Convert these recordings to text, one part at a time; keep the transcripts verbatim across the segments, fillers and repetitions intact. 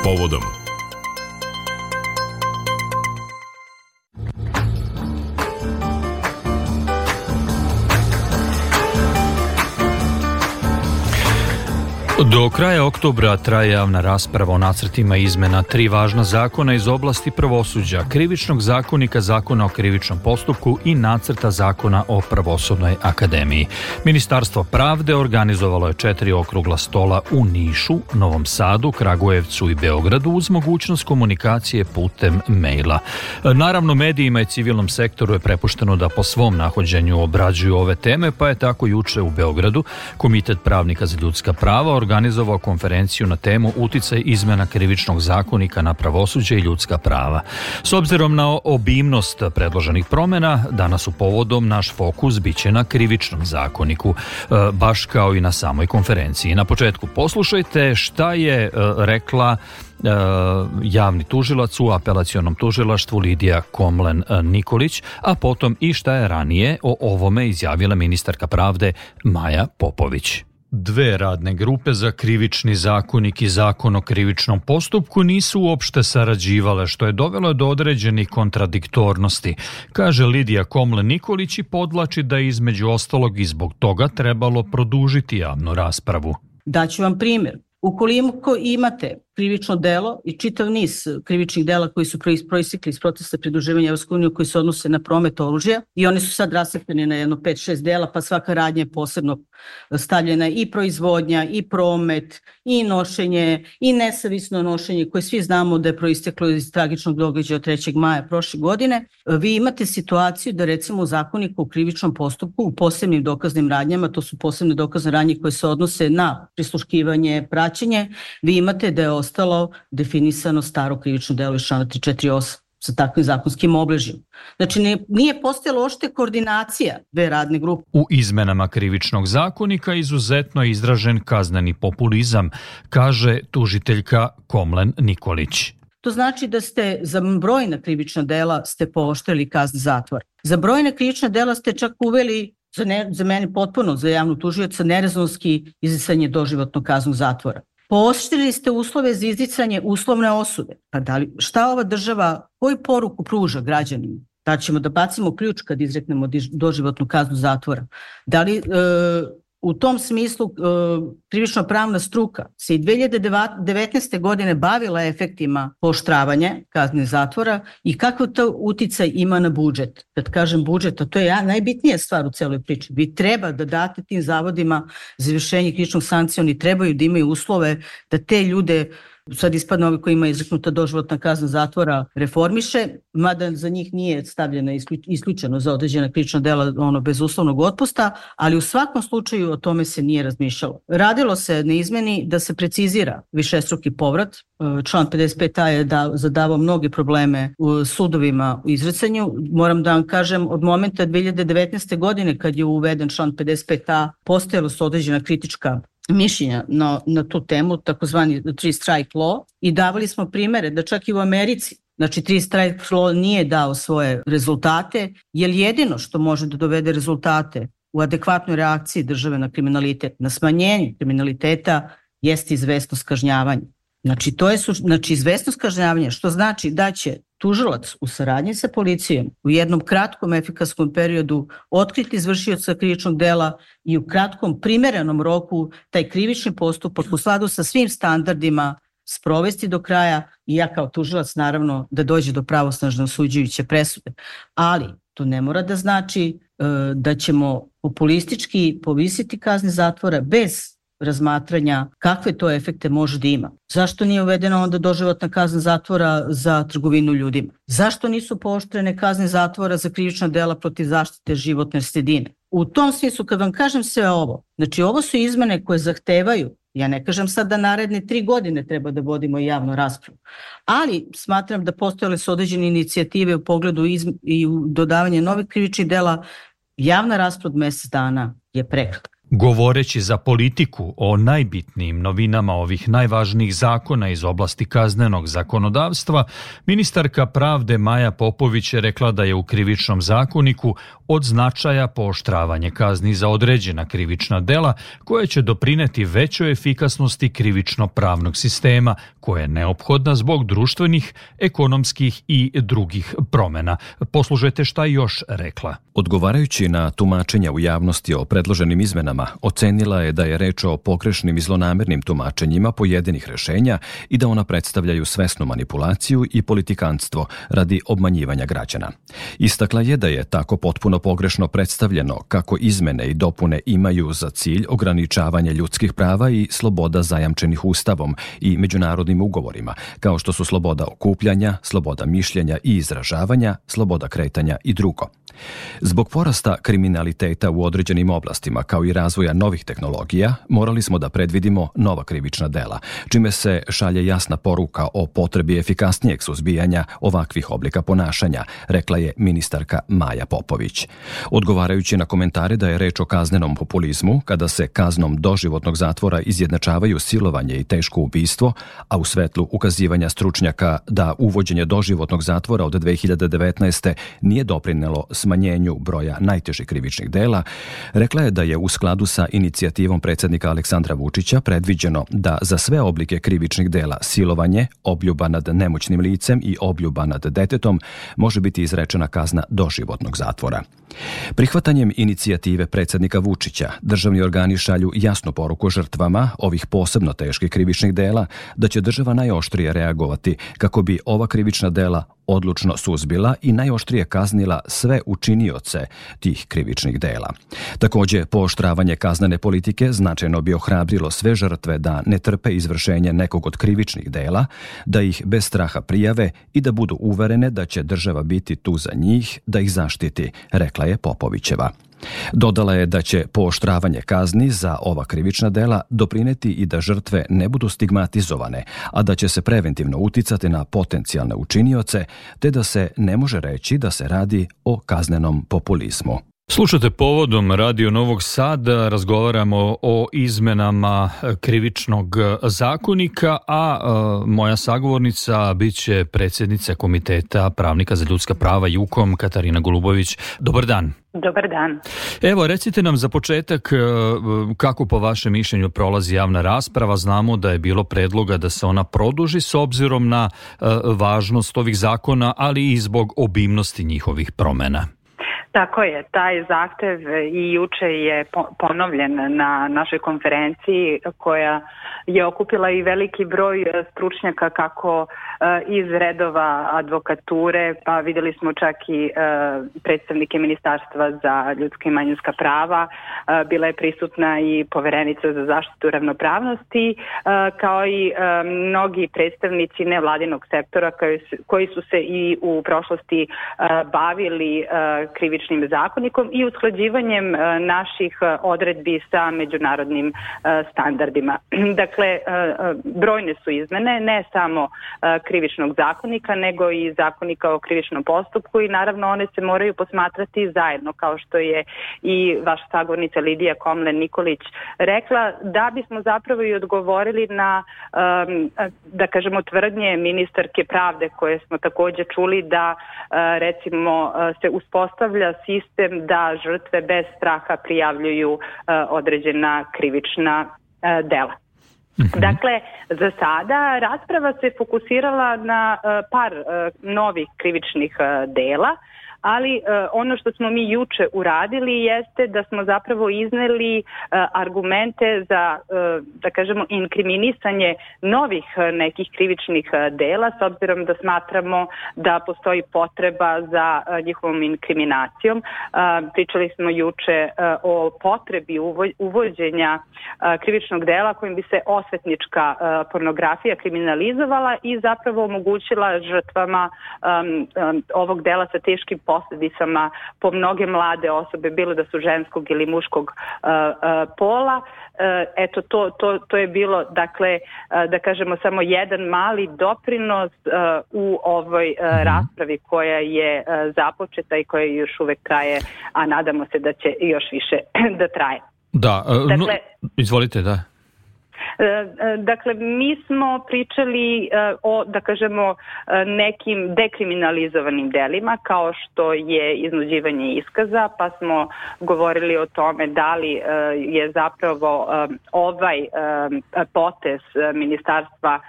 Povodom. Do kraja oktobra traje javna rasprava o nacrtima izmena tri važna zakona iz oblasti pravosuđa, Krivičnog zakonika, Zakona o krivičnom postupku i nacrta Zakona o Pravosudnoj akademiji. Ministarstvo pravde organizovalo je četiri okrugla stola u Nišu, Novom Sadu, Kragujevcu i Beogradu uz mogućnost komunikacije putem maila. Naravno, medijima i civilnom sektoru je prepušteno da po svom nahođenju obrađuju ove teme, pa je tako juče u Beogradu Komitet pravnika za ljudska prava organizovao konferenciju na temu uticaj izmena Krivičnog zakonika na pravosuđe i ljudska prava. S obzirom na obimnost predloženih promjena, danas u Povodom naš fokus biće na Krivičnom zakoniku, baš kao i na samoj konferenciji. Na početku poslušajte šta je rekla javni tužilac u apelacionom tužilaštvu Lidija Komlen Nikolić, a potom i šta je ranije o ovome izjavila ministarka pravde Maja Popović. Dve radne grupe za Krivični zakonik i Zakon o krivičnom postupku nisu uopšte sarađivale, što je dovelo do određenih kontradiktornosti, kaže Lidija Komlen Nikolić i podlači da je između ostalog i zbog toga trebalo produžiti javnu raspravu. Daću vam primjer. Ukoliko imate krivično delo i čitav niz krivičnih dela koji su proistekli iz procesa pridruživanja Evropskoj uniji koji se odnose na promet oružja i oni su sad rasipljeni na jedno pet šest dela, pa svaka radnja je posebno stavljena i proizvodnja, i promet, i nošenje, i nesavisno nošenje koje svi znamo da je proisteklo iz tragičnog događaja od trećeg maja prošle godine. Vi imate situaciju da recimo u zakoniku o krivičnom postupku u posebnim dokaznim radnjama, to su posebne dokazne radnje koje se odnose na prisluškivanje, praćenje, vi imate da je ostalo definisano staro krivično delo iz člana tri četiri osam sa takvim zakonskim obeležjem. Znači ne, nije postojala ošte koordinacija dve radne grupe. U izmenama Krivičnog zakonika izuzetno je izražen kazneni populizam, kaže tužiteljka Komlen Nikolić. To znači da ste za brojna krivična dela ste pooštrili kazne zatvora. Za brojna krivična dela ste čak uveli, za, ne, za mene potpuno, za javnu tužioca, nerezonski izricanje doživotnog kaznog zatvora. Pooštrili ste uslove za izricanje uslovne osude. Pa da li, šta ova država, koju poruku pruža građanima? Da ćemo da bacimo ključ kad izreknemo doživotnu kaznu zatvora? Da li e, u tom smislu e, krivično pravna struka se i dve hiljade devetnaeste. godine bavila efektima pooštravanja kazne zatvora i kako to uticaj ima na budžet? Kad kažem budžet, a to je najbitnija stvar u celoj priči. Vi treba da date tim zavodima za izvršenje krivičnog sankcija, oni trebaju da imaju uslove da te ljude, sad ispadne ovi koji ima izreknuta doživotna kazna zatvora, reformiše, mada za njih nije stavljena isključeno za određena krivična dela ono, bez uslovnog otpusta, ali u svakom slučaju o tome se nije razmišljalo. Radilo se na izmeni da se precizira višestruki povrat. Član pedeset pet a je da, zadavao mnoge probleme u sudovima u izricanju. Moram da vam kažem, od momenta dve hiljade devetnaeste. godine kad je uveden član pedeset pet a, postojalo su određena kritička mišljenja na, na tu temu, takozvani three strike law, i davali smo primere da čak i u Americi, znači three strike law nije dao svoje rezultate, jer jedino što može da dovede rezultate u adekvatnoj reakciji države na kriminalitet, na smanjenje kriminaliteta, jeste izvesnost kažnjavanja. Znači, to je znači, izvesnost kažnjavanja, što znači da će tužilac u saradnji sa policijom u jednom kratkom efikasnom periodu otkriti izvršioca krivičnog dela i u kratkom primerenom roku taj krivični postupak u skladu sa svim standardima sprovesti do kraja i ja kao tužilac naravno da dođe do pravosnažne osuđujuće presude. Ali to ne mora da znači e, da ćemo populistički povisiti kazne zatvora bez razmatranja kakve to efekte može da ima. Zašto nije uvedena onda doživotna kazna zatvora za trgovinu ljudima? Zašto nisu pooštrene kazne zatvora za krivična dela protiv zaštite životne sredine? U tom smislu, kad vam kažem sve ovo, znači ovo su izmene koje zahtevaju, ja ne kažem sad da naredne tri godine treba da vodimo javnu raspravu, ali smatram da postojale su određene inicijative u pogledu izm- i u dodavanje novih krivičnih dela. Javna rasprava od mesec dana je prekratka. Govoreći za politiku o najbitnijim novinama ovih najvažnijih zakona iz oblasti kaznenog zakonodavstva, ministarka pravde Maja Popović je rekla da je u Krivičnom zakoniku od značaja pooštravanje kazni za određena krivična dela koje će doprineti većoj efikasnosti krivično-pravnog sistema, koja je neophodna zbog društvenih, ekonomskih i drugih promena. Poslušajte šta je još rekla. Odgovarajući na tumačenja u javnosti o predloženim izmenama, ocenila je da je reč o pogrešnim i zlonamernim tumačenjima pojedinih rešenja i da ona predstavljaju svesnu manipulaciju i politikanstvo radi obmanjivanja građana. Istakla je da je tako potpuno pogrešno predstavljeno kako izmene i dopune imaju za cilj ograničavanje ljudskih prava i sloboda zajamčenih Ustavom i međunarodnim ugovorima, kao što su sloboda okupljanja, sloboda mišljenja i izražavanja, sloboda kretanja i drugo. Zbog porasta kriminaliteta u određenim oblastima, kao i razvoja novih tehnologija, morali smo da predvidimo nova krivična dela, čime se šalje jasna poruka o potrebi efikasnijeg suzbijanja ovakvih oblika ponašanja, rekla je ministarka Maja Popović. Odgovarajući na komentare da je reč o kaznenom populizmu, kada se kaznom doživotnog zatvora izjednačavaju silovanje i teško ubistvo, a u svetlu ukazivanja stručnjaka da uvođenje doživotnog zatvora od dve hiljade devetnaeste. nije doprinelo smanjenju broja najtežih krivičnih dela, rekla je da je u skladu sa inicijativom predsjednika Aleksandra Vučića predviđeno da za sve oblike krivičnih dela silovanje, obljuba nad nemoćnim licem i obljuba nad detetom može biti izrečena kazna doživotnog zatvora. Prihvatanjem inicijative predsjednika Vučića, državni organi šalju jasnu poruku žrtvama ovih posebno teških krivičnih dela da će država najoštrije reagovati kako bi ova krivična dela odlučno suzbila i najoštrije kaznila sve učinioce tih krivičnih dela. Također, pooštravanje kaznene politike značajno bi ohrabrilo sve žrtve da ne trpe izvršenje nekog od krivičnih dela, da ih bez straha prijave i da budu uverene da će država biti tu za njih, da ih zaštiti, rekla je Popovićeva. Dodala je da će pooštravanje kazni za ova krivična dela doprineti i da žrtve ne budu stigmatizovane, a da će se preventivno uticati na potencijalne učinioce, te da se ne može reći da se radi o kaznenom populizmu. Slušate povodom Radio Novog Sada, razgovaramo o izmenama krivičnog zakonika, a e, moja sagovornica biće predsjednica Komiteta pravnika za ljudska prava JUKOM, Katarina Golubović. Dobar dan. Dobar dan. Evo, recite nam za početak kako po vašem mišljenju prolazi javna rasprava. Znamo da je bilo predloga da se ona produži s obzirom na važnost ovih zakona, ali i zbog obimnosti njihovih promjena. Tako je, taj zahtev i juče je ponovljen na našoj konferenciji koja je okupila i veliki broj stručnjaka kako iz redova advokature, pa vidjeli smo čak i predstavnike Ministarstva za ljudska i manjinska prava, bila je prisutna i poverenica za zaštitu ravnopravnosti, kao i mnogi predstavnici nevladinog sektora koji su se i u prošlosti bavili krivičnim zakonikom i usklađivanjem naših odredbi sa međunarodnim standardima. Dakle, brojne su izmene, ne samo krivičnog zakonika, nego i zakonika o krivičnom postupku i naravno one se moraju posmatrati zajedno, kao što je i vaša sagovornica Lidija Komlen-Nikolić rekla, da bismo zapravo i odgovorili na, da kažemo, tvrdnje ministarke pravde koje smo također čuli da recimo se uspostavlja sistem da žrtve bez straha prijavljuju određena krivična dela. Mm-hmm. Dakle, za sada rasprava se fokusirala na par novih krivičnih dela, ali uh, ono što smo mi juče uradili jeste da smo zapravo izneli uh, argumente za, uh, da kažemo, inkriminisanje novih uh, nekih krivičnih uh, dela, s obzirom da smatramo da postoji potreba za uh, njihovom inkriminacijom. Uh, pričali smo juče uh, o potrebi uvo- uvođenja uh, krivičnog dela kojim bi se osvetnička uh, pornografija kriminalizovala i zapravo omogućila žrtvama um, um, ovog dela sa teškim posljedicama po mnoge mlade osobe, bilo da su ženskog ili muškog uh, uh, pola. Uh, eto, to, to, to je bilo, dakle, uh, da kažemo, samo jedan mali doprinos uh, u ovoj uh, raspravi koja je uh, započeta i koja još uvek traje, a nadamo se da će još više da traje. Da, dakle, no, izvolite, da. Dakle, mi smo pričali o, da kažemo, nekim dekriminalizovanim delima kao što je iznuđivanje iskaza, pa smo govorili o tome da li je zapravo ovaj potez Ministarstva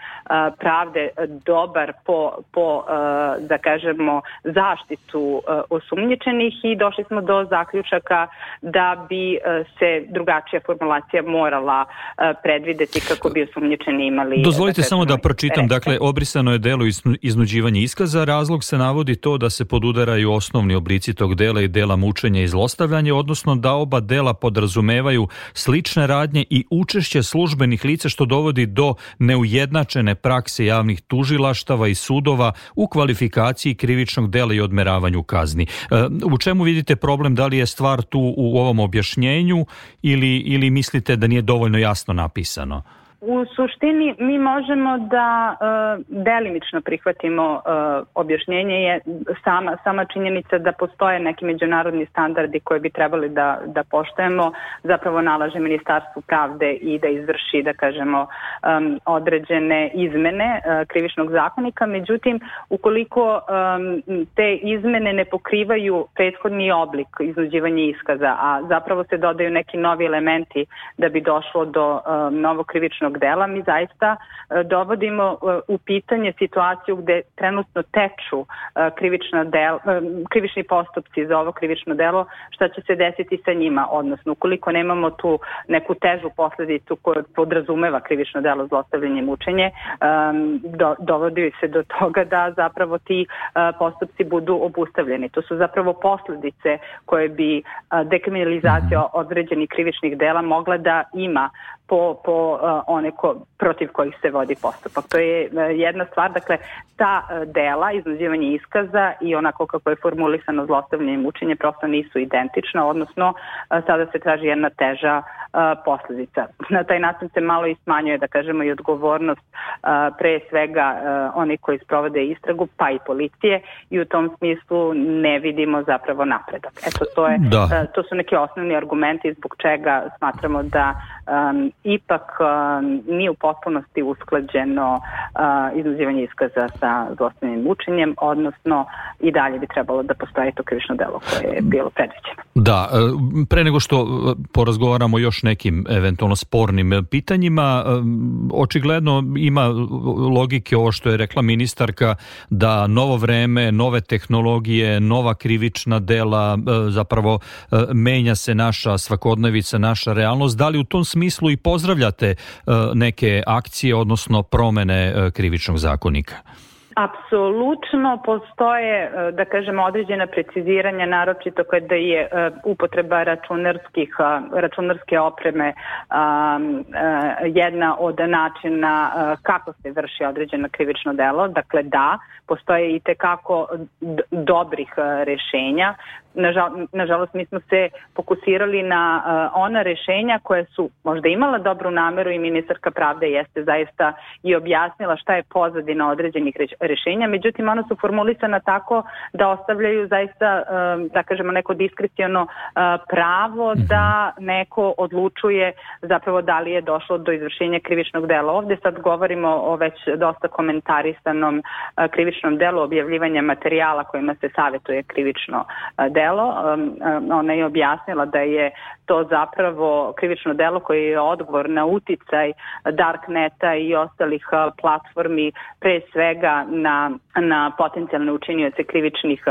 pravde dobar po, po da kažemo, zaštitu osumnjičenih i došli smo do zaključaka da bi se drugačija formulacija morala predvideti kako bi osumnjičeni imali... Dozvolite da samo da pročitam, dakle, obrisano je delo iznuđivanje iskaza, razlog se navodi to da se podudaraju osnovni oblici tog dela i dela mučenja i zlostavljanja, odnosno da oba dela podrazumevaju slične radnje i učešće službenih lica što dovodi do neujednačene prakse javnih tužilaštava i sudova u kvalifikaciji krivičnog dela i odmeravanju kazni. U čemu vidite problem, da li je stvar tu u ovom objašnjenju ili, ili mislite da nije dovoljno jasno napisano? U suštini mi možemo da uh, delimično prihvatimo uh, objašnjenje je sama, sama činjenica da postoje neki međunarodni standardi koje bi trebali da, da poštujemo, zapravo nalaže Ministarstvu pravde i da izvrši, da kažemo, um, određene izmene uh, krivičnog zakonika. Međutim, ukoliko um, te izmene ne pokrivaju prethodni oblik iznuđivanja iskaza, a zapravo se dodaju neki novi elementi da bi došlo do um, novog krivičnog dela, mi zaista dovodimo u pitanje situaciju gde trenutno teču krivična del, krivični postupci za ovo krivično delo, šta će se desiti sa njima, odnosno ukoliko nemamo tu neku težu posledicu koja podrazumeva krivično delo zlostavljanje i mučenje, do, dovodi se do toga da zapravo ti postupci budu obustavljeni. To su zapravo posledice koje bi dekriminalizacija određenih krivičnih dela mogla da ima po, po uh, one ko, protiv kojih se vodi postupak. To je uh, jedna stvar, dakle, ta uh, dela, iznuđivanje iskaza i onako kako je formulisano zlostavljanje i mučenje prosto nisu identična, odnosno uh, sada se traži jedna teža uh, posljedica. Na taj način se malo i smanjuje, da kažemo, i odgovornost uh, pre svega uh, oni koji sprovode istragu, pa i policije, i u tom smislu ne vidimo zapravo napredak. Eto, to, je, uh, to su neki osnovni argumenti zbog čega smatramo da um, ipak um, nije u potpunosti usklađeno uh, iznuđivanje iskaza sa zlostavljanjem i mučenjem, odnosno i dalje bi trebalo da postoji to krivično delo koje je bilo predviđeno. Da, pre nego što porazgovaramo još nekim eventualno spornim pitanjima, očigledno ima logike ovo što je rekla ministarka, da novo vreme, nove tehnologije, nova krivična dela, zapravo menja se naša svakodnevica, naša realnost. Da li u tom smislu i pozdravljate neke akcije, odnosno promene krivičnog zakonika? Apsolutno postoje, da kažemo, određena preciziranja, naročito kada je upotreba računarskih, računarske opreme jedna od načina kako se vrši određeno krivično delo. Dakle, da, postoje i tekako dobrih rešenja. Nažalost, mi smo se fokusirali na uh, ona rešenja koje su možda imala dobru nameru i ministarka pravde jeste zaista i objasnila šta je pozadina određenih rešenja, međutim ona su formulisana tako da ostavljaju zaista, uh, da kažemo, neko diskreciono uh, pravo da neko odlučuje zapravo da li je došlo do izvršenja krivičnog dela. Ovde sad govorimo o već dosta komentarisanom uh, krivičnom delu objavljivanja materijala kojima se savjetuje krivično uh, delo. Ona je objasnila da je to zapravo krivično delo koje je odgovor na uticaj Darkneta i ostalih platformi, pre svega na, na potencijalne učinioce krivičnih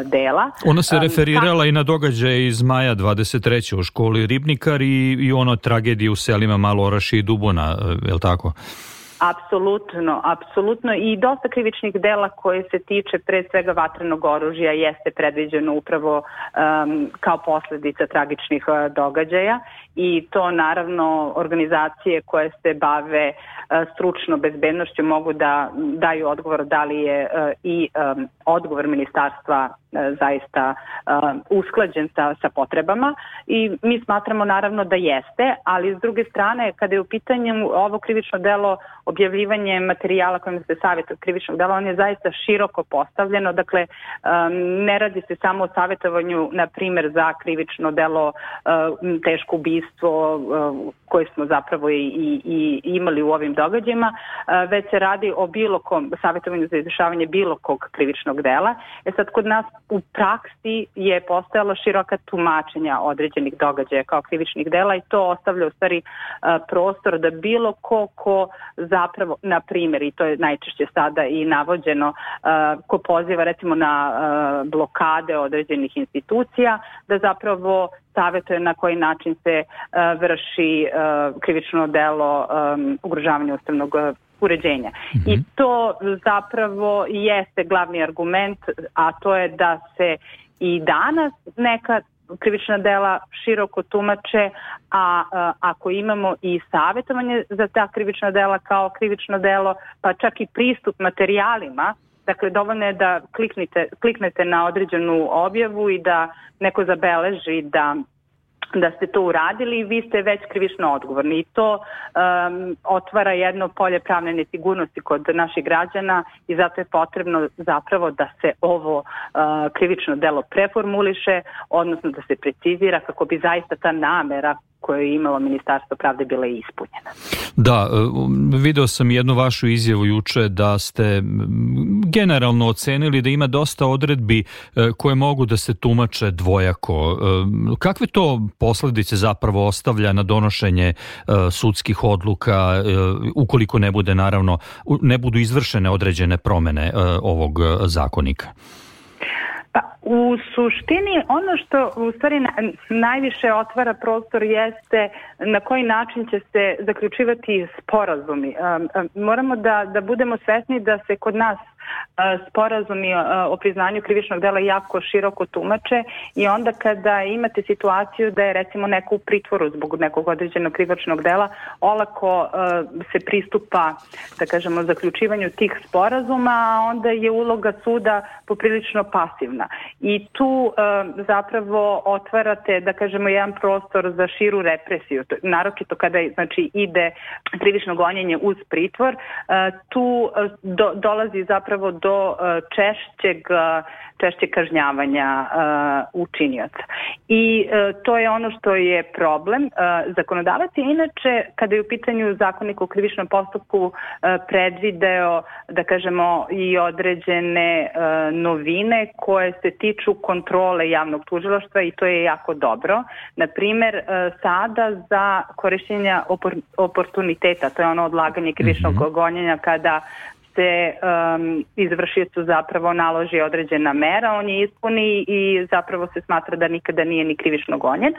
dela. Ona se referirala um, i na događaje iz maja dvadeset treće u školi Ribnikar i, i ono tragedije u selima Maloraši i Dubona, je li tako? Apsolutno, apsolutno, i dosta krivičnih dela koje se tiče pre svega vatrenog oružja jeste predviđeno upravo um, kao posljedica tragičnih uh, događaja, i to naravno organizacije koje se bave uh, stručno bezbednošću mogu da daju odgovor da li je uh, i um, odgovor ministarstva zaista usklađen sa, sa potrebama i mi smatramo naravno da jeste, ali s druge strane kada je u pitanju ovo krivično delo objavljivanje materijala kojim se savjetuje krivičnog dela, on je zaista široko postavljeno, dakle ne radi se samo o savjetovanju na primjer za krivično delo teško ubistvo koje smo zapravo i, i, i imali u ovim događajima, već se radi o bilo kom savjetovanju za izvršavanje bilo kog krivičnog dela. E sad kod nas u praksi je postojalo široka tumačenja određenih događaja kao krivičnih dela i to ostavlja u stvari prostor da bilo ko ko zapravo, na primjer, i to je najčešće sada i navođeno, ko poziva recimo na blokade određenih institucija, da zapravo savjetuje na koji način se vrši krivično delo ugrožavanja ustavnog uređenja. Mm-hmm. I to zapravo jeste glavni argument, a to je da se i danas neka krivična dela široko tumače, a, a ako imamo i savjetovanje za ta krivična dela kao krivično delo, pa čak i pristup materijalima, dakle dovoljno je da kliknete, kliknete na određenu objavu i da neko zabeleži da da ste to uradili i vi ste već krivično odgovorni i to um, otvara jedno polje pravne nesigurnosti kod naših građana i zato je potrebno zapravo da se ovo uh, krivično delo preformuliše, odnosno da se precizira kako bi zaista ta namera koju je imalo Ministarstvo pravde bila ispunjena. Da, video sam jednu vašu izjavu juče da ste generalno ocenili da ima dosta odredbi koje mogu da se tumače dvojako. Kakve to posljedice zapravo ostavlja na donošenje sudskih odluka ukoliko ne bude naravno ne budu izvršene određene promene ovog zakonika? Pa, u suštini ono što u stvari najviše otvara prostor jeste na koji način će se zaključivati sporazumi. Moramo da, da budemo svesni da se kod nas sporazumi o priznanju krivičnog dela jako široko tumače i onda kada imate situaciju da je recimo neko u pritvoru zbog nekog određenog krivičnog dela, olako se pristupa, da kažemo, zaključivanju tih sporazuma, a onda je uloga suda poprilično pasivna. I tu zapravo otvarate, da kažemo, jedan prostor za širu represiju, naročito kada znači ide krivično gonjenje uz pritvor, tu do, dolazi zapravo do češćeg, češćeg kažnjavanja uh, učinioca. I uh, to je ono što je problem. Uh, zakonodavac je inače, kada je u pitanju Zakonik o krivičnom postupku, uh, predvideo, da kažemo, i određene uh, novine koje se tiču kontrole javnog tužilaštva i to je jako dobro. Naprimer, uh, sada za korišćenja opor- oportuniteta, to je ono odlaganje krivičnog mm-hmm. gonjenja kada se um, izvršiocu zapravo naloži određena mera, on je ispuni i zapravo se smatra da nikada nije ni krivično gonjen.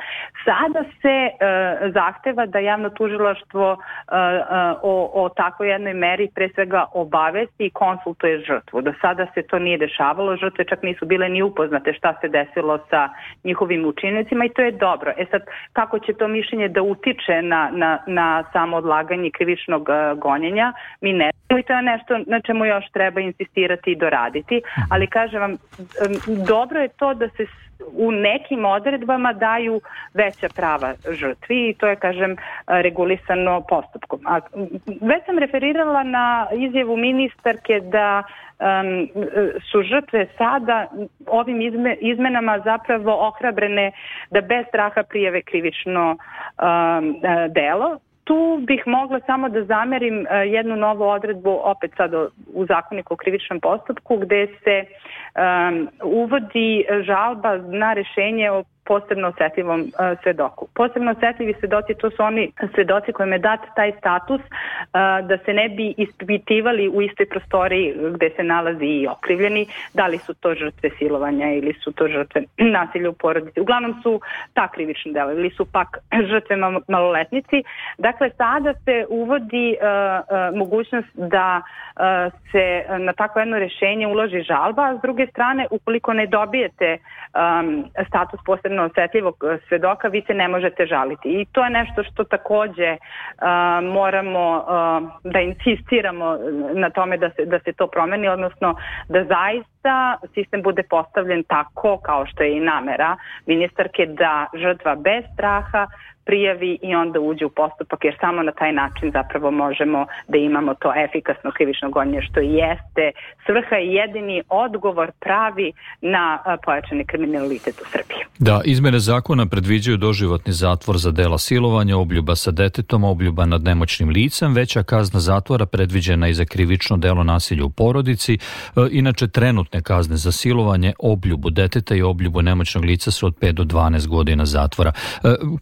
Sada se uh, zahteva da javno tužilaštvo uh, uh, o, o takvoj jednoj meri pre svega obavesti i konsultuje žrtvu. Do sada se to nije dešavalo, žrtve čak nisu bile ni upoznate šta se desilo sa njihovim učinicima i to je dobro. E sad, kako će to mišljenje da utiče na, na, na samo odlaganje krivičnog uh, gonjenja, mi ne znamo i to je nešto na čemu još treba insistirati i doraditi, ali kažem vam, dobro je to da se u nekim odredbama daju veća prava žrtvi i to je, kažem, regulisano postupkom. A već sam referirala na izjavu ministarke da um, su žrtve sada ovim izme, izmenama zapravo ohrabrene da bez straha prijave krivično um, delo. Tu bih mogla samo da zamerim jednu novu odredbu, opet sad u Zakoniku o krivičnom postupku, gde se um, uvodi žalba na rešenje o posebno osetljivom uh, svedoku. Posebno osetljivi svedoci, to su oni svedoci kojima je dat taj status uh, da se ne bi ispitivali u istoj prostoriji gde se nalazi i okrivljeni, da li su to žrtve silovanja ili su to žrtve nasilja u porodici. Uglavnom su ta krivična dela ili su pak žrtve maloletnici. Dakle, sada se uvodi uh, uh, mogućnost da uh, se na takvo jedno rešenje uloži žalba, a s druge strane, ukoliko ne dobijete um, status posebno posebno osetljivog svedoka, vi se ne možete žaliti. I to je nešto što takođe uh, moramo uh, da insistiramo na tome da se, da se to promeni, odnosno da zaista sistem bude postavljen tako kao što je i namera ministarke, da žrtva bez straha prijavi i onda uđe u postupak, jer samo na taj način zapravo možemo da imamo to efikasno krivično gonjenje, što jeste svrha i jedini odgovor pravi na pojačani kriminalitet u Srbiji. Da, izmene zakona predviđaju doživotni zatvor za dela silovanja, obljuba sa detetom, obljuba nad nemoćnim licem, veća kazna zatvora predviđena i za krivično delo nasilja u porodici. Inače, trenutne kazne za silovanje, obljubu deteta i obljubu nemoćnog lica su od pet do dvanaest godina zatvora.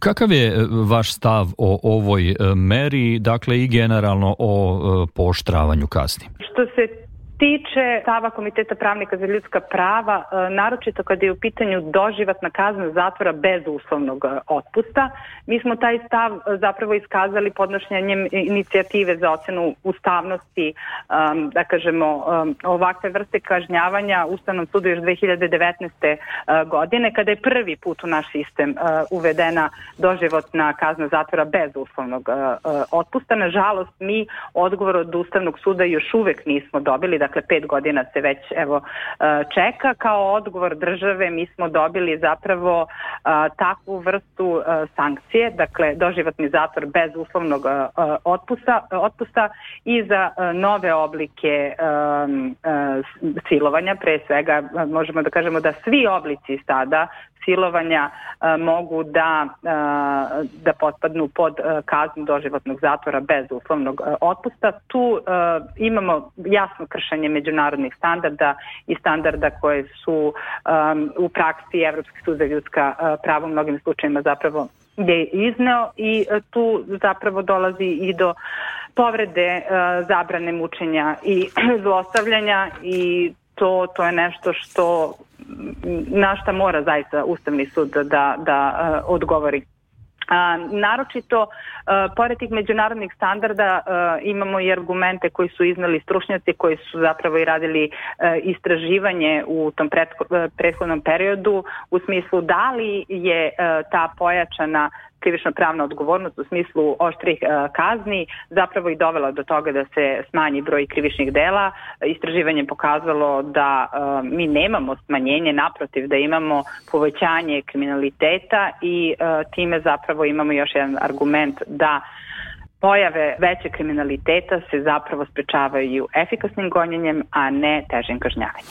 Kakav je vaš stav o ovoj meri, dakle i generalno o pooštravanju kazni? Što se tiče stava Komiteta pravnika za ljudska prava, naročito kada je u pitanju doživotna kazna zatvora bez uslovnog otpusta, mi smo taj stav zapravo iskazali podnošenjem inicijative za ocenu ustavnosti, da kažemo, ovakve vrste kažnjavanja Ustavnom sudu još dve hiljade devetnaeste. godine, kada je prvi put u naš sistem uvedena doživotna kazna zatvora bez uslovnog otpusta. Nažalost, mi odgovor od Ustavnog suda još uvek nismo dobili, dakle pet godina se već evo čeka. Kao odgovor države mi smo dobili zapravo takvu vrstu sankcije, dakle doživotni zatvor bez uslovnog otpusta, otpusta i za nove oblike silovanja. Pre svega možemo da kažemo da svi oblici sada silovanja a, mogu da, a, da potpadnu pod a, kaznu doživotnog zatvora bez uslovnog a, otpusta. Tu a, imamo jasno kršenje međunarodnih standarda i standarda koje su a, u praksi Evropski sud za ljudska a, prava u mnogim slučajima zapravo je izneo i a, tu zapravo dolazi i do povrede a, zabrane mučenja i zlostavljanja i to, to je nešto što na šta mora zaista Ustavni sud da, da uh, odgovori. A, naročito, a, pored tih međunarodnih standarda a, imamo i argumente koji su iznali stručnjaci koji su zapravo i radili a, istraživanje u tom pretko, a, prethodnom periodu u smislu da li je a, ta pojačana krivično pravna odgovornost u smislu oštrih uh, kazni zapravo i dovela do toga da se smanji broj krivičnih dela. Istraživanje je pokazalo da uh, mi nemamo smanjenje, naprotiv da imamo povećanje kriminaliteta i uh, time zapravo imamo još jedan argument da pojave veće kriminaliteta se zapravo sprečavaju efikasnim gonjenjem, a ne težim kažnjavanjem.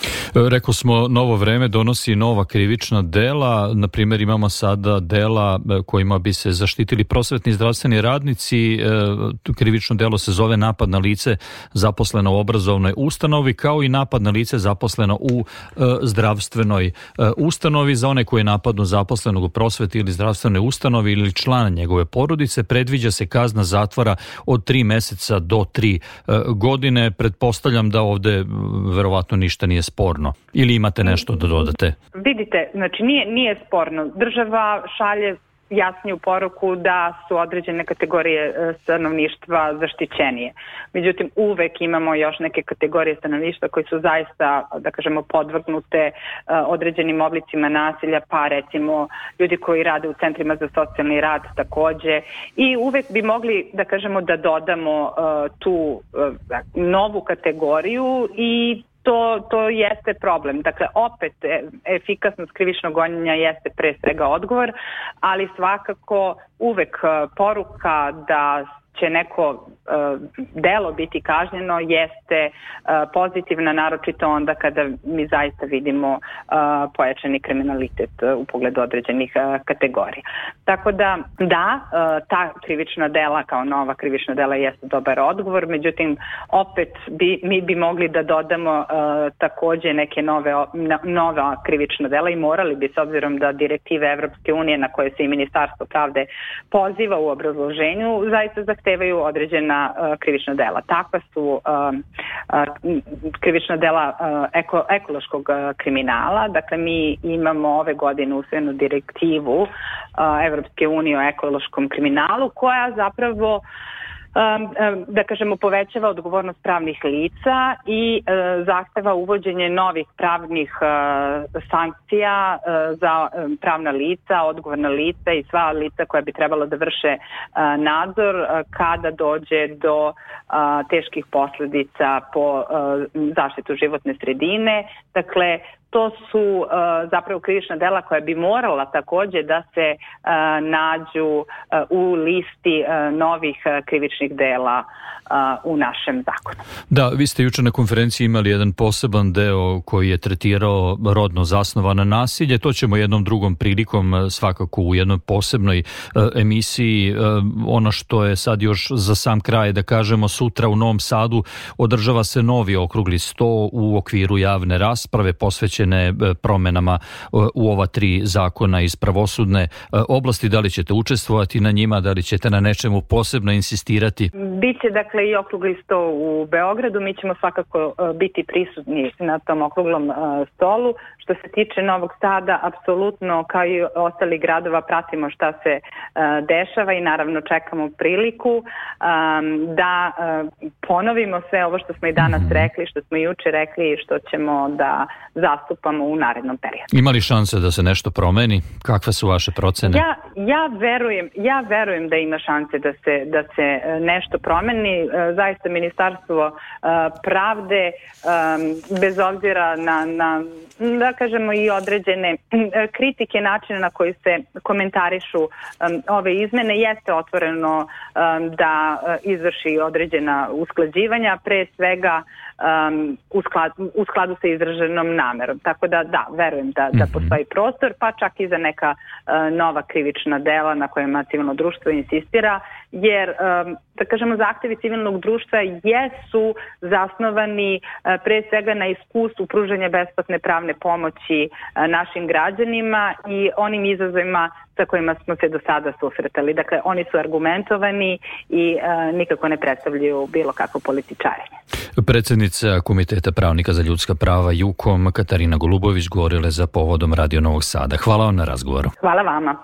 Rekao smo, novo vreme donosi nova krivična dela. Na primjer, imamo sada dela kojima bi se zaštitili prosvetni i zdravstveni radnici. Krivično delo se zove napad na lice zaposleno u obrazovnoj ustanovi, kao i napad na lice zaposleno u zdravstvenoj ustanovi. Za one koje napadnu zaposlenog u prosveti ili zdravstvenoj ustanovi ili člana njegove porodice, predviđa se kazna zatvora od tri meseca do tri godine. Pretpostavljam da ovde verovatno ništa nije sporno. Ili imate nešto da dodate? Vidite, znači nije, nije sporno. Država šalje jasniju poruku da su određene kategorije stanovništva zaštićenije. Međutim, uvek imamo još neke kategorije stanovništva koji su zaista, da kažemo, podvrgnute određenim oblicima nasilja, pa recimo ljudi koji rade u centrima za socijalni rad takođe. I uvek bi mogli, da kažemo, da dodamo tu novu kategoriju i To, to jeste problem. Dakle, opet efikasnost krivičnog gonjenja jeste pre svega odgovor, ali svakako uvek poruka da će neko uh, delo biti kažnjeno jeste uh, pozitivna, naročito onda kada mi zaista vidimo uh, pojačani kriminalitet uh, u pogledu određenih uh, kategorija. Tako da, da, uh, ta krivična dela kao nova krivična dela jeste dobar odgovor, međutim, opet bi, mi bi mogli da dodamo uh, takođe neke nove, no, nova krivična dela i morali bi, s obzirom da direktive Evropske unije na koje se i Ministarstvo pravde poziva u obrazloženju, zaista zahtevaju određena uh, krivična dela. Takva su uh, uh, krivična dela uh, eko, ekološkog uh, kriminala. Dakle, mi imamo ove godine usvojenu direktivu uh, Evropske unije o ekološkom kriminalu koja zapravo da kažemo, povećava odgovornost pravnih lica i zahteva uvođenje novih pravnih sankcija za pravna lica, odgovorna lica i sva lica koja bi trebalo da vrše nadzor kada dođe do teških posledica po zaštitu životne sredine. Dakle, to su uh, zapravo krivična dela koja bi morala takođe da se uh, nađu uh, u listi uh, novih uh, krivičnih dela uh, u našem zakonu. Da, vi ste juče na konferenciji imali jedan poseban deo koji je tretirao rodno zasnovano nasilje. To ćemo jednom drugom prilikom svakako u jednoj posebnoj uh, emisiji. Uh, ono što je sad još za sam kraj da kažemo, sutra u Novom Sadu održava se novi okrugli sto u okviru javne rasprave posvećen promenama u ova tri zakona iz pravosudne oblasti. Da li ćete učestvovati na njima, da li ćete na nečemu posebno insistirati? Biće dakle i okrugli sto u Beogradu, mi ćemo svakako biti prisutni na tom okruglom stolu. Što se tiče Novog Sada, apsolutno kao i ostali gradova pratimo šta se dešava i naravno čekamo priliku da ponovimo sve ovo što smo i danas rekli, što smo juče rekli i što ćemo da zastupamo u narednom periodu. Ima li šanse da se nešto promeni? Kakve su vaše procene? Ja, ja, verujem, ja verujem da ima šanse da se, da se nešto promeni. Zaista Ministarstvo pravde, bez obzira na, na da kažemo i određene kritike načina na koji se komentarišu ove izmene, jeste otvoreno da izvrši određena usklađivanja, pre svega Um, u, sklad, u skladu sa izraženom namerom. Tako da da, verujem da, da postoji prostor, pa čak i za neka uh, nova krivična dela na kojima civilno društvo insistira, jer um, da kažemo zahtevi civilnog društva jesu zasnovani uh, pre svega na iskustvu pružanja besplatne pravne pomoći uh, našim građanima i onim izazovima sa kojima smo se do sada susretali. Dakle, oni su argumentovani i uh, nikako ne predstavljaju bilo kakvo političarenje. Predsednica Komiteta pravnika za ljudska prava JUKOM Katarina Golubović govorile za Povodom Radio Novog Sada. Hvala vam na razgovoru. Hvala vama.